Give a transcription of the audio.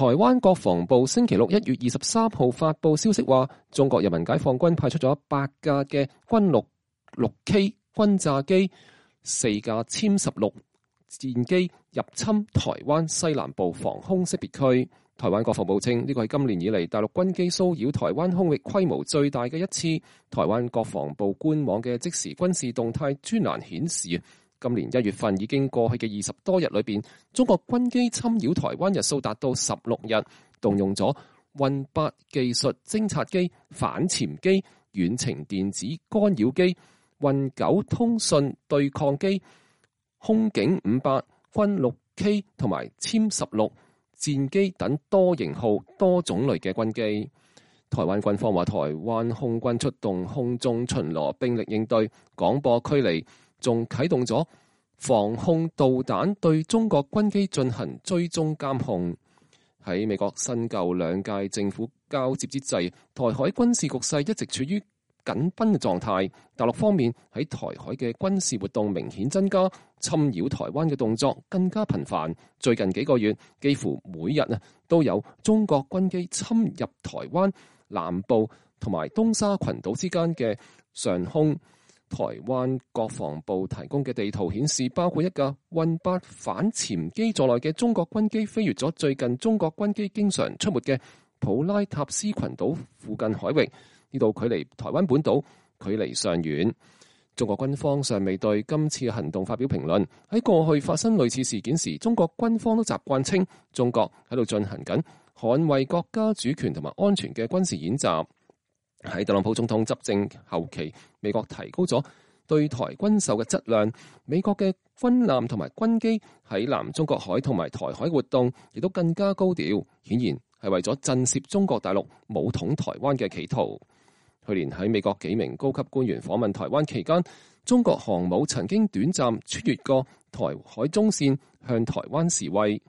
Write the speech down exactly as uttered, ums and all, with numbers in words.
台灣國防部星期六一月二十三號發布消息話，中國人民解放軍派出咗八架嘅軍六六 K 轟炸機、四架殲十六戰機入侵台灣西南部防空識別區。台灣國防部稱呢個係今年以嚟大陸軍機騷擾台灣空域規模最大嘅一次。台灣國防部官網嘅即時軍事動態專欄顯示，今年一月份已經過去嘅二十多日裏邊，中國軍機侵擾台灣日數達到十六日，動用咗運八技術偵察機、反潛機、遠程電子干擾機、運九通訊對抗機、空警五八、軍六 K 同埋殲十六戰機等多型號多種類嘅軍機。台灣軍方話，台灣空軍出動空中巡邏兵力應對，廣播驅離，仲啟動咗防空導彈對中國軍機進行追蹤監控。喺美國新舊兩屆政府交接之際，台海軍事局勢一直處於緊繃嘅狀態。大陸方面喺台海嘅軍事活動明顯增加，侵擾台灣嘅動作更加頻繁。最近幾個月，幾乎每日啊都有中國軍機侵入台灣南部同埋東沙群島之間嘅上空。台灣國防部提供嘅地圖顯示，包括一架運八反潛機在內嘅中國軍機飛越咗最近中國軍機經常出沒嘅普拉塔斯群島附近海域。呢度距離台灣本島距離尚遠。中國軍方尚未對今次行動發表評論。喺過去發生類似事件時，中國軍方都習慣稱中國喺度進行緊捍衛國家主權同埋安全嘅軍事演習。喺特朗普總統執政後期，美國提高咗對台軍售嘅質量，美國嘅軍艦同埋軍機喺南中國海同埋台海活動亦都更加高調，顯然係為咗震懾中國大陸武統台灣嘅企圖。去年喺美國幾名高級官員訪問台灣期間，中國航母曾經短暫穿越過台海中線向台灣示威。